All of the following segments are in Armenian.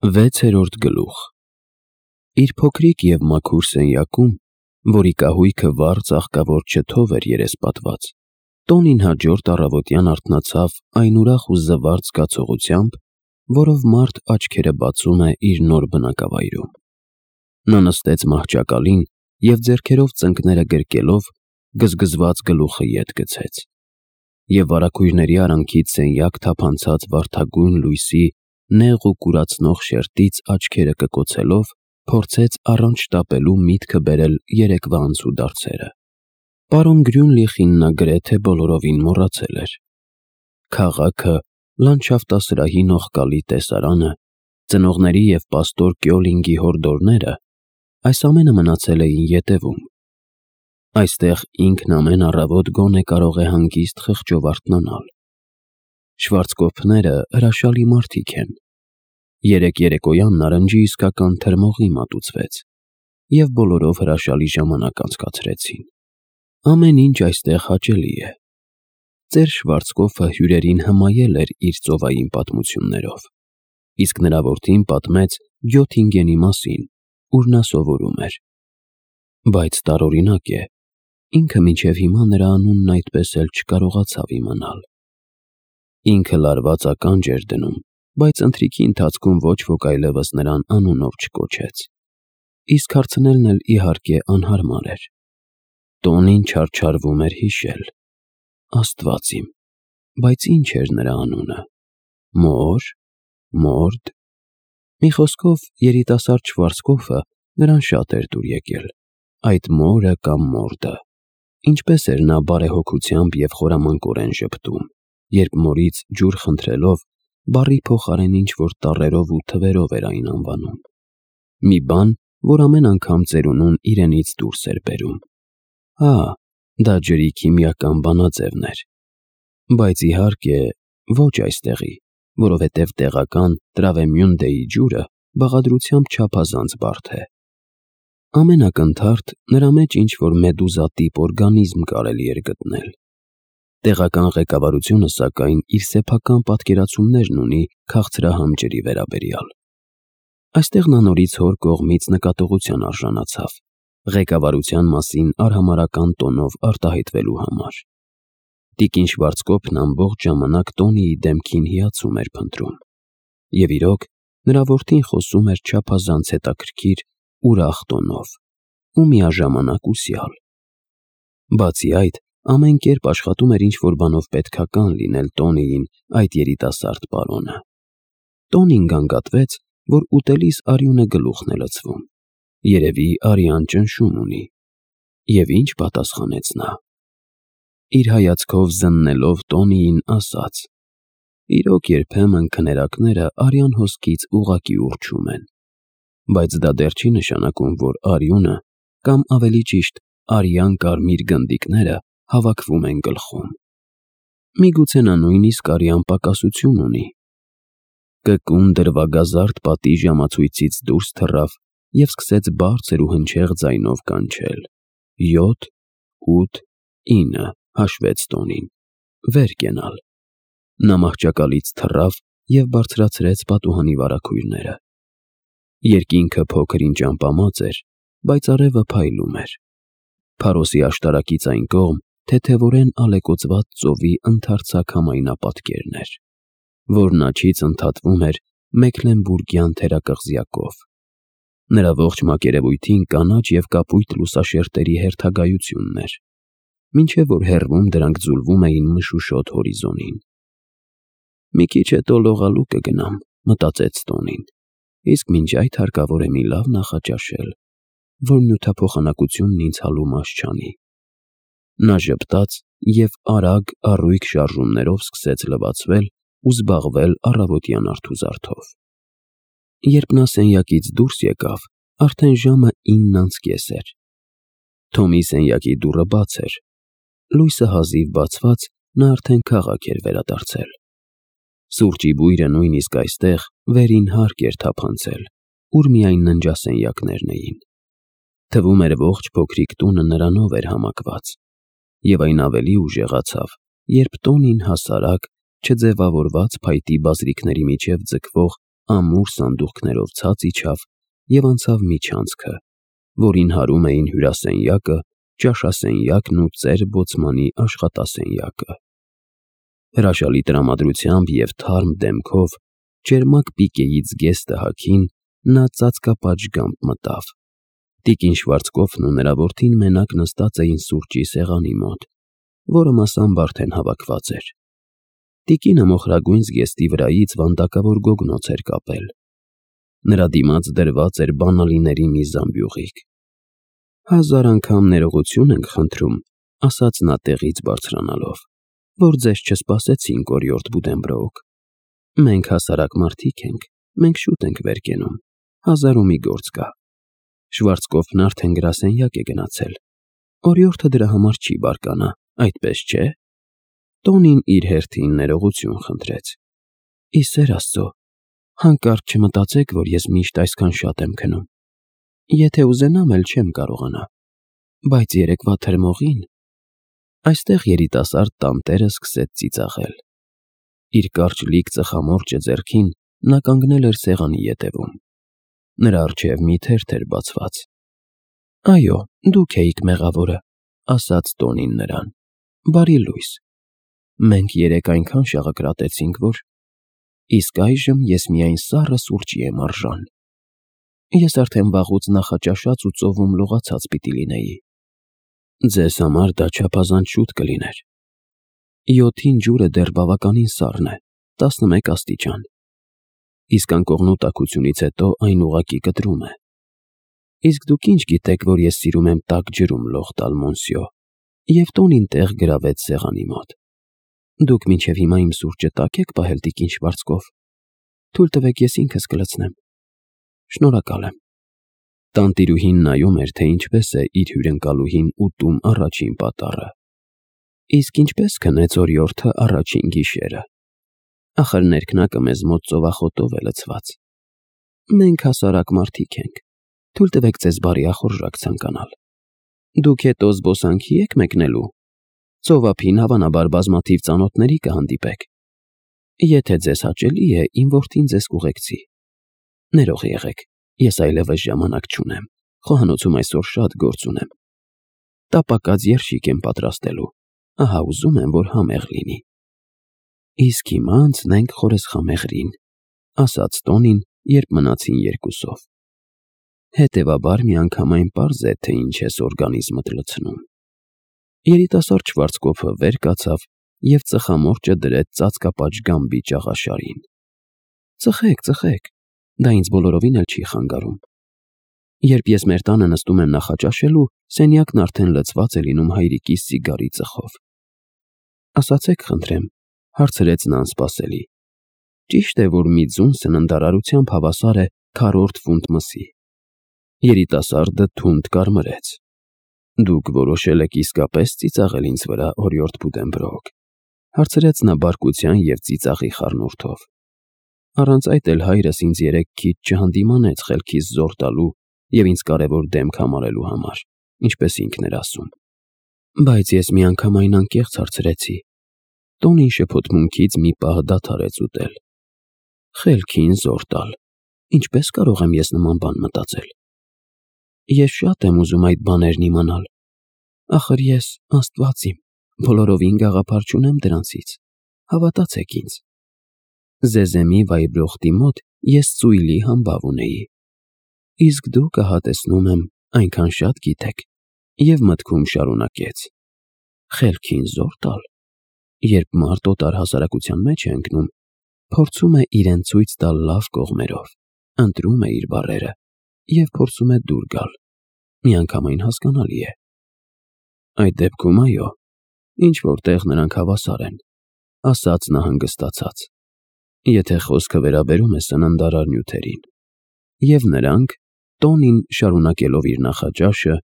6-րդ գլուխ։ Իր փոքրիկ և մաքուր սենյակում, որի կահույքը վառ ծաղկավոր չթով էր երեսպատված, Տոնին հաջորդ առավոտյան արթնացավ այն ուրախ ու զվարթ զգացողությամբ, որով մարդ աչքերը բացում է իր նոր բնակավայրում։ Նա նստեց մահճակալին և ձեռքերով ծնկները գրկելով, գզգզված գլուխը ետ գցեց, և վարագույրների արանքից սենյակ թափանցած վարդագույն լույսի նեղ ու կուրացնող շերտից աչքերը կկոցելով, փորձեց առանց շտապելու միտքը բերել երեկվա անցուդարձերը։ Պարոն Գրյունլիխին նա գրեթե բոլորովին մոռացել էր։ Քաղաքը, լանդշաֆտասրահի նողկալի տեսարանը, ծնողների և պաստոր Կյոլինգի հորդորները, այս ամենը մնացել էին ետևում։ Այստեղ ինքն ամեն առավոտ գոնե կարող է հանգիստ խղճով արթնանալ։ Շվարցկոֆները հրաշալի մարդիկ են։ Երեկ երեկոյան նարնջի իսկական թրմողի մատուցվեց, և բոլորով հրաշալի ժամանակ անցկացրեցին։ Ամեն ինչ այստեղ հաճելի է։ Ծեր Շվարցկոֆը հյուրերին հմայել էր իր ծովային պատմություններով, իսկ նրա որդին պատմեց Գյոթինգենի մասին, ուր նա սովորում էր։ Բայց տարօրինակ է, ինքը մինչև հիմա նրա անունն այդպես էլ չկարողացավ իմանալ։ Ինքը լարված ականջ էր դնում, բայց ընթրիքի ընթացքում ոչ ոք այլևս նրան անունով չկոչեց։ Իսկ հարցնելն էլ իհարկե անհարմար էր։ Տոնին չարչարվում էր հիշել։ Աստված իմ, բայց ինչ էր նրա անունը։ Մոր, Մորդ։ Մի խոսքով, երիտասարդ Շվարցկոֆը նրան շատ էր դուր եկել, այդ մորը կամ մորդը։ Ինչպես էր նա բարեհոգությամբ և խորամանկորեն ժպտում, երբ մորից ջուր խնդրելով, բառի փոխարեն ինչ-որ տառերով ու թվերով էր այն անվանում։ Մի բան, որ ամեն անգամ ծերունուն իրենից դուրս էր բերում։ Հա, դա ջրի քիմիական բանաձևն էր։ Բայց իհարկե, ոչ այստեղի, որովհետև տեղական Տրավեմյունդեի ջուրը բաղադրությամբ չափազանց բարդ է։ Ամեն ակնթարթ նրա մեջ ինչ-որ մեդուզատիպ օրգանիզմ կարելի էր գտնել։ Տեղական ղեկավարությունը, սակայն, իր սեփական պատկերացումներն ունի քաղցրահամ ջրի վերաբերյալ։ Այստեղ նա նորից հոր կողմից նկատողության արժանացավ, ղեկավարության մասին արհամարհական տոնով արտահայտվելու համար։ Տիկին Շվարցկոֆն ամբողջ ժամանակ Տոնիի դեմքին հիացում էր փնտրում։ Եվ իրոք, նրա որդին խոսում էր չափազանց հետաքրքիր, ուրախ տոնով ու միաժամանակ ուսյալ։ Բացի այդ, ամեն կերպ աշխատում էր ինչ-որ բանով պետքական լինել Տոնիին այդ երիտասարդ պարոնը։ Տոնին գանգատվեց, որ ուտելիս արյունը գլուխն է լցվում։ Երևի արյան ճնշում ունի։ Եվ ինչ պատասխանեց նա։ Իր հայացքով զննելով Տոնիին ասաց. «Իրոք երբեմն քներակները արյան հոսքից ուղղակի ուռչում են, բայց դա դեռ չի նշանակում, որ արյունը, կամ ավելի ճիշտ, արյան կարմիր գնդիկները հավաքվում են գլխում։ Միգուցե նա նույնիսկ արյան պակասություն ունի»։ Կկուն դրվագազարդ պատի ժամացույցից դուրս թռավ և սկսեց բարձր ու հնչեղ ձայնով կանչել. 7, 8, 9 հաշվեց Տոնին, վեր կենալ։ Նա մահճակալից թռավ և բարձրացրեց պատուհանի վարագույրները։ Երկինքը փոքր-ինչ ամպամած էր, բայց արևը փայլում էր։ Փարոսի աշտարակից այն կողմ թեթևորեն ալեկոծված ծովի ընդարձակ համայնապատկերն էր, որն աջից ընդհատվում էր Մեքլենբուրգյան թերակղզյակով։ Նրա ողջ մակերևույթին կանաչ և կապույտ լուսաշերտերի հերթագայությունն էր, մինչև որ հեռվում դրանք ձուլվում էին մշուշոտ հորիզոնին։ «Մի քիչ հետո լողալու կգնամ», մտածեց Տոնին, «իսկ մինչ այդ հարկավոր է մի լավ նախաճաշել, որ նյութափոխանակությունն ինձ հալումաս չանի»։ Նա ժպտաց և արագ առույգ շարժումներով սկսեց լվացվել ու զբաղվել առավոտյան արթուզարդով։ Երբ նա սենյակից դուրս եկավ, արդեն ժամը 9:30 էր։ Թոմի սենյակի դուռը բաց էր։ Լույսը հազիվ բացված, նա արդեն քաղաք էր վերադարձել։ Սուրճի բույրը նույնիսկ այստեղ վերին հարկ էր թափանցել, ուր միայն ննջասենյակներն էին։ Թվում էր ողջ փոքրիկ տունը նրանով էր համակված։ Եվ այն ավելի ուժեղացավ, երբ Տոնին հասարակ, չձևավորված փայտի բազրիքների միջև ձգվող ամուր սանդուղքներով ցած իջավ և անցավ միջանցքը, որին հարում էին հյուրասենյակը, ճաշասենյակն ու ծեր բոցմանի աշխատասենյակը։ Հրաշալի տրամադրությամբ և թարմ դեմքով, ճերմակ պիկեից գեստը հագին, նա ծածկապատժգամբ մտավ։ Տիկին Շվարցկոֆն ու նրա որդին մենակ նստած էին սուրճի սեղանի մոտ, որը մասամբ արդեն հավաքված էր։ Տիկինը մոխրագույն զգեստի վրայից վանդակավոր գոգնոց էր կապել։ Նրա դիմաց դրված էր բանալիների մի զամբյուղիկ։ «Հազար անգամ ներողություն ենք խնդրում», ասաց նա տեղից բարձրանալով, «որ ձեզ չսպասեցինք, օրիորդ Բուդենբրոուք։ Մենք հասարակ մարդիկ ենք, մենք շուտ ենք վեր կենում, 1000 ու մի գործ կա»։ Շվարցկոֆն արդեն գրասենյակ է գնացել։ Օրիորդը դրա համար չի բարկանա, այդպես չէ։ Տոնին իր հերթին ներողություն խնդրեց։ «Ի սեր Աստծո, հանկարծ չմտածեք, որ ես միշտ այսքան շատ եմ քնում։ Եթե ուզենամ էլ չեմ կարողանա, բայց երեկվա թրմողին…» Այստեղ երիտասարդ տանտերը սկսեց ծիծաղել։ Իր կարճլիկ ծխամորճը ձեռքին նա կանգնել էր սեղանի ետևում։ Նրա առջև մի թերթ էր բացված։ «Այո, դուք էիք մեղավորը», ասաց Տոնին նրան։ «Բարի լույս։ Մենք երեկ այնքան շաղակրատեցինք, որ… Իսկ այժմ ես միայն սառը սուրճի եմ արժան։ Ես արդեն վաղուց նախաճաշած ու ծովում լողացած պիտի լինեի։ Ձեզ համար դա չափազանց շուտ կլիներ։ 7-ին ջուրը դեռ բավականին սառն է, 11 աստիճան։ Իսկ անկողնու տաքությունից հետո այն ուղղակի կտրում է։ Իսկ դուք ինչ գիտեք, որ ես սիրում եմ տաք ջրում լող տալ, մոնսյո»։ Եվ Տոնին տեղ գրավեց սեղանի մոտ։ «Դուք մինչև հիմա իմ սուրճը տաք եք պահել, տիկին Շվարցկոֆ։ Թույլ տվեք ես ինքս կլցնեմ։ Շնորհակալ եմ»։ Տանտիրուհին նայում էր, թե ինչպես է իր հյուրընկալուհին ուտում առաջին պատառը։ «Իսկ ինչպես քնեց օրիորդը առաջին գիշերը։ Ախր ներքնակը մեզ մոտ ծովախոտով է լցված։ Մենք հասարակ մարդիկ ենք, թույլ տվեք ձեզ բարի ախորժակ ցանկանալ։ Դուք հետո զբոսանքի եք մեկնելու։ Ծովափին հավանաբար բազմաթիվ ծանոթների կհանդիպեք։ Եթե ձեզ հաճելի է, իմ որդին ձեզ կուղեկցի։ Ներող եղեք, ես այլևս ժամանակ չունեմ, խոհանոցում այսօր շատ գործ ունեմ։ Տապակած երշիկ եմ պատրաստելու, ահա ուզում եմ, որ համեղ լինի»։ «Իսկ հիմա անցնենք խորեսխամեղրին», ասաց Տոնին, երբ մնացին երկուսով։ Հետևաբար միանգամայն պարզ է, թե ինչ ես օրգանիզմդ լցնում։ Երիտասարդ Շվարցկոֆը վեր կացավ և ծխամորճը դրեց ծածկապատժգամբի ճաղաշարին։ «Ծխեք, ծխեք, դա ինձ բոլորովին էլ չի խանգարում։ Երբ ես մեր տանը նստում եմ նախաճաշելու, սենյակն արդեն լցված է լինում հայրիկիս սիգարի ծխով»։ «Ասացեք խնդրեմ», հարցրեց նա անսպասելի։ «Ճիշտ է, որ մի ձուն սննդարարությամբ հավասար է 4 ֆունտ մսի»։ Երիտասարդը թունդ կարմրեց։ «Դուք որոշել եք իսկապես ծիծաղել ինձ վրա, օրիորդ Բուդենբրոուք», հարցրեց նա բարկության և ծիծաղի խառնուրդով։ «Առանց այդ էլ հայրս ինձ երեկ քիչ չհանդիմանեց խելքիս զոր տալու և ինձ կարևոր դեմք համարելու համար, ինչպես ինքն էր ասում։ Բայց ես միանգամայն անկեղծ հարցրեցի»։ Տոնին շփոթմունքից մի պահ դադարեց ուտել։ «Խելքին զոր տալ, ինչպես կարող եմ ես նման բան մտածել։ Ես շատ եմ ուզում այդ բաներն իմանալ։ Ախր ես, Աստված իմ, բոլորովին գաղափար չունեմ դրանցից, հավատացեք ինձ։ Զեզեմի վայրբրոխտի մոտ ես ծույլի համբավ ունեի։ Իսկ դուք, ահա տեսնում եմ, այնքան շատ գիտեք»։ Եվ մտքում շարունակեց. «Խելքին զոր տալ։ Երբ մարդ օտար հասարակության մեջ է ընկնում, փորձում է իրեն ցույց տալ լավ կողմերով, ընտրում է իր բառերը և փորձում է դուր գալ։ Միանգամայն հասկանալի է։ Այդ դեպքում, այո, ինչ-որ տեղ նրանք հավասար են», ասաց նա հանգստացած, «եթե խոսքը վերաբերում է սննդարար նյութերին»։ Եվ նրանք, Տոնին շարունակելով իր նախաճաշը,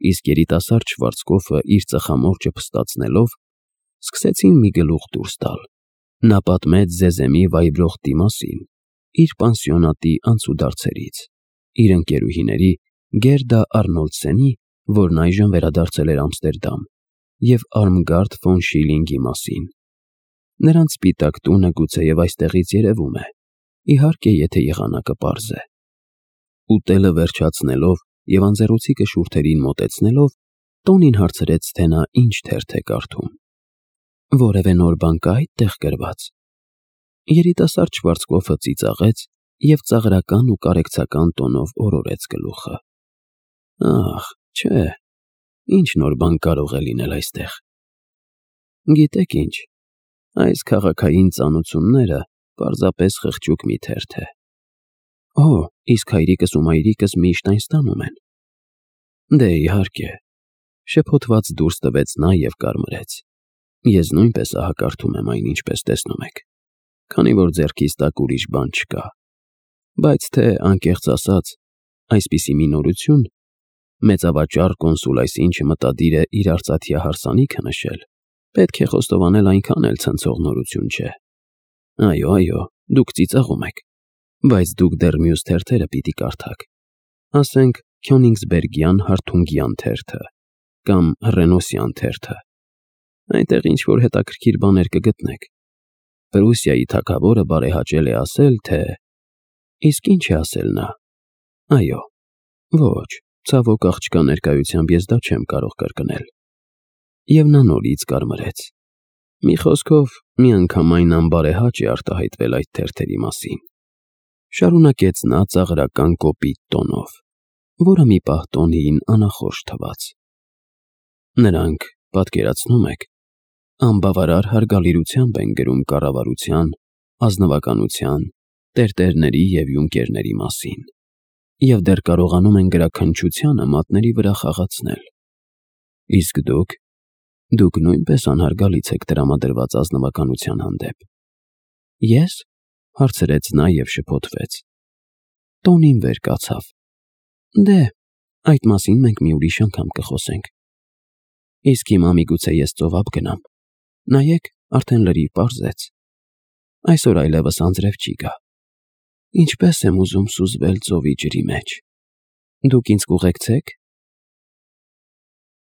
իսկ երիտասարդ Շվարցկոֆը իր ծխամորճը փստացնելով, սկսեցին մի գլուխ դուրս տալ։ Նա պատմեց Զեզեմի վայրբրոխտի մասին, իր պանսիոնատի անցուդարձերից, իր ընկերուհիների Գերդա Արնոլդսենի, որն այժմ վերադարձել էր Ամստերդամ, և Արմգարդ ֆոն Շիլինգի մասին։ Նրանց սպիտակ տունը գուցեև այստեղից երևում է, իհարկե, եթե եղանակը պարզ է։ Ուտելը վերջացնելով եւ անձեռոցիկը շուրթերին մոտեցնելով, Տոնին հարցրեց, թե նա ինչ թերթ է կարդում։ Որևէ նոր բան կա այդտեղ գրված։ Երիտասարդ Շվարցկոֆը ծիծաղեց եւ ծաղրական ու կարեկցական տոնով օրորեց գլուխը։ Ախ, չէ, ինչ նոր բան կարող է լինել այստեղ։ Գիտեք ինչ, այս քաղաքային ծանոթությունները պարզապես խղճուկ մի թերթ է։ Օ, իսկ հայրիկս ու մայրիկս միշտ այն ստանում են։ Դե իհարկե, շփոթված դուրս տվեց նա եւ կարմրեց։ Ես նույնպես ահակարդում եմ այն, ինչպես տեսնում եք, քանի որ ձեռքիս տակ ուրիշ բան չկա։ Բայց թե անկեղծ ասած, այսպիսի մի նորություն, մեծավաճառ կոնսուլ այսինչը մտադիր է իր արծաթյա հարսանիքը նշել, պետք է խոստովանել այնքան էլ ցնցող նորություն չէ։ Այո, դուք ծիծաղում եք, բայց դուք դեռ մյուս թերթերը պիտի կարդաք։ Ասենք Քյոնիգսբերգյան Հարթունգյան թերթը կամ Ռենոսյան թերթը։ Այնտեղ ինչ-որ հետաքրքիր բաներ կգտնեք։ Պրուսիայի թագավորը բարեհաճել է ասել, թե… Իսկ ինչ է ասել նա։ Այո, ոչ, ցավոք աղջկա ներկայությամբ ես դա չեմ կարող կրկնել։ Եվ նա նորից կարմրեց։ Մի խոսքով, միանգամայն անբարեհաճ է արտահայտվել այդ թերթերի մասին։ Շարունակեց նա ծաղրական կոպիտ տոնով, որը մի պահ Տոնիին անախորժ թվաց։ Նրանք, պատկերացնում եք, անբավարար հարգալիրությամբ են գրում կառավարության, ազնվականության, տերտերների և յունկերների մասին, և դեռ կարողանում են գրաքննչությանը մատների վրա խաղացնել։ Իսկ դուք նույնպես անհարգալից եք տրամադրված ազնվականության հանդեպ։ Ես, հարցրեց նա և շփոթվեց։ Տոնին վեր կացավ։ Դե, այդ մասին մենք մի ուրիշ անգամ կխոսենք։ Իսկ հիմա միգուցե ես ծովափ գնամ։ Նայեք, արդեն լրիվ պարզեց։ Այսօր այլևս անձրև չի գա։ Ինչպես եմ ուզում սուզվել ծովի ջրի մեջ։ Դուք ինձ կուղեկցեք։